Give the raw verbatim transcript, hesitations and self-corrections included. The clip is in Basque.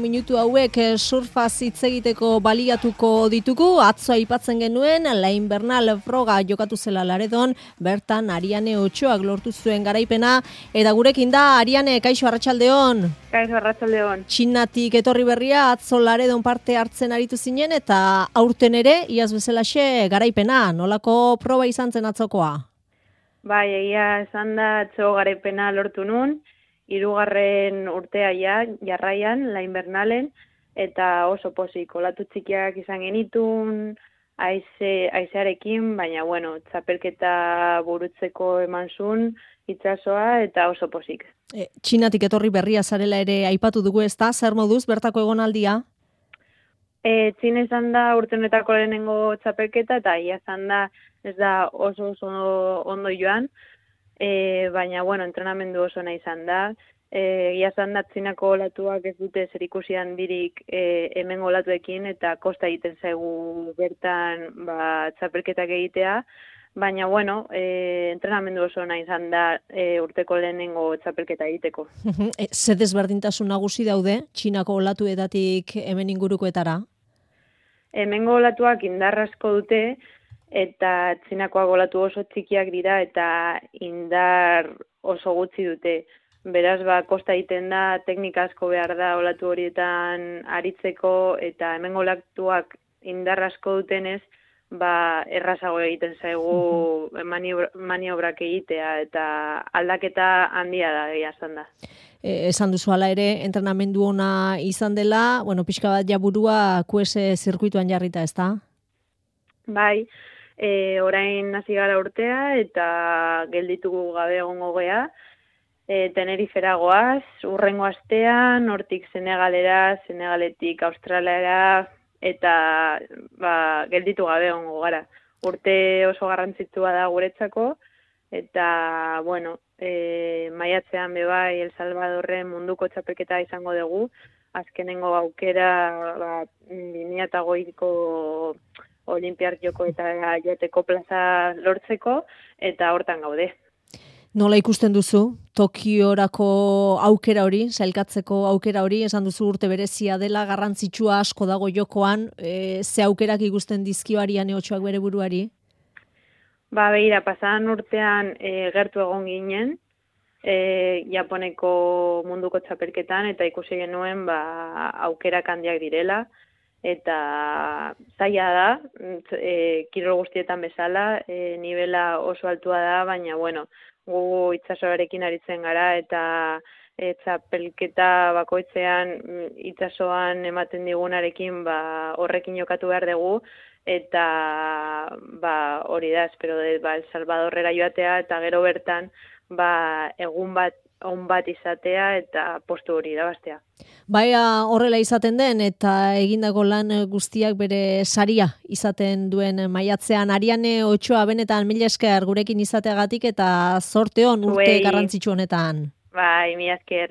Minutu hauek surfaz hitz egiteko baliatuko ditugu. Atzo aipatzen genuen, La Invernal froga jokatu zela Laredon, bertan Ariane Otxoak lortu zuen garaipena, eta gurekin da Ariane, kaixo arratsaldeon. Kaixo arratsaldeon. Txinatik etorri berria, atzo Laredon parte hartzen aritu zinen, eta aurten ere, iaz bezalaxe garaipena, nolako proba izan zen atzokoa? Bai, egia esan da atzo garaipena lortu nun, hirugarren urtea ja, jarraian, La Invernalen, eta oso pozik, olatu txikiak izan genitun, aize, aizearekin, baina, bueno, txapelketa burutzeko eman zuen, itsasoa, eta oso pozik. E, Txinatik etorri berria zarela ere aipatu dugu ezta, zer moduz, bertako egonaldia? E, Txina izan da urtenetako lehenengo txapelketa, eta ia izan da, ez da oso oso ondo joan, E, baina, bueno, entrenamendu oso nahi izan da. E, Ia izan da, Txinako olatuak ez dute zerikusi handirik e, hemen olatuekin, eta kosta egiten zaigu bertan ba, txapelketak egitea. Baina, bueno, e, entrenamendu oso nahi izan da e, urteko lehenengo txapelketa egiteko. e, Ze desberdintasun nagusi daude, Txinako olatuetatik hemen ingurukoetara? Hemengo olatuak indarrasko dute, eta Txinakoak olatu oso txikiak dira eta indar oso gutxi dute. Beraz, ba, kosta egiten da, teknika asko behar da olatu horietan aritzeko, eta hemen olatuak indar asko dutenez, ba, errazago egiten zaigu maniobra, maniobrak egitea, eta aldaketa handia da, egia esan da. E, esan duzu hala ere, entrenamendu ona izan dela, bueno, pixka bat jaburua Q S zirkuituan jarrita, ezta? Bai, E, orain hasi gara urtea eta gelditugu gabe egongo gea. E, Tenerifera goaz, urrengo astean, hortik Senegalera, Senegaletik Australiara, eta ba, gelditu gabe egongo gara. Urte oso garrantzitsua da guretzako, eta, bueno, e, maiatzean bebai El Salvadorren munduko txapelketa izango dugu, azkenengo aukera ba, bi mila hogeiko Olimpiar joko eta joteko plaza lortzeko, eta hortan gaude. Nola ikusten duzu, Tokiorako aukera hori, sailkatzeko aukera hori, esan duzu urte berezia dela, garrantzitsua asko dago jokoan, e, ze aukerak ikusten dizkio Ariane Otxoak bere buruari? Ba, begira, pasadan urtean e, gertu egon ginen, e, Japoneko munduko txapelketan, eta ikusi genuen ba, aukerak handiak direla, eta zaila da, e, kirol guztietan bezala, e, nivela oso altua da, baina, bueno, gu itsasoarekin aritzen gara, eta e, txapelketa bakoitzean itsasoan ematen digunarekin ba, horrekin jokatu behar dugu, eta ba, hori da, espero dut, ba, El Salvadorrera joatea, eta gero bertan ba, egun bat on bat izatea eta postu hori irabaztea. Baina horrela izaten den eta egindako lan guztiak bere saria izaten duen maiatzean. Ariane Otxoa, benetan mila esker gurekin izateagatik eta zorte on urte garrantzitsu honetan. Bai, mila esker.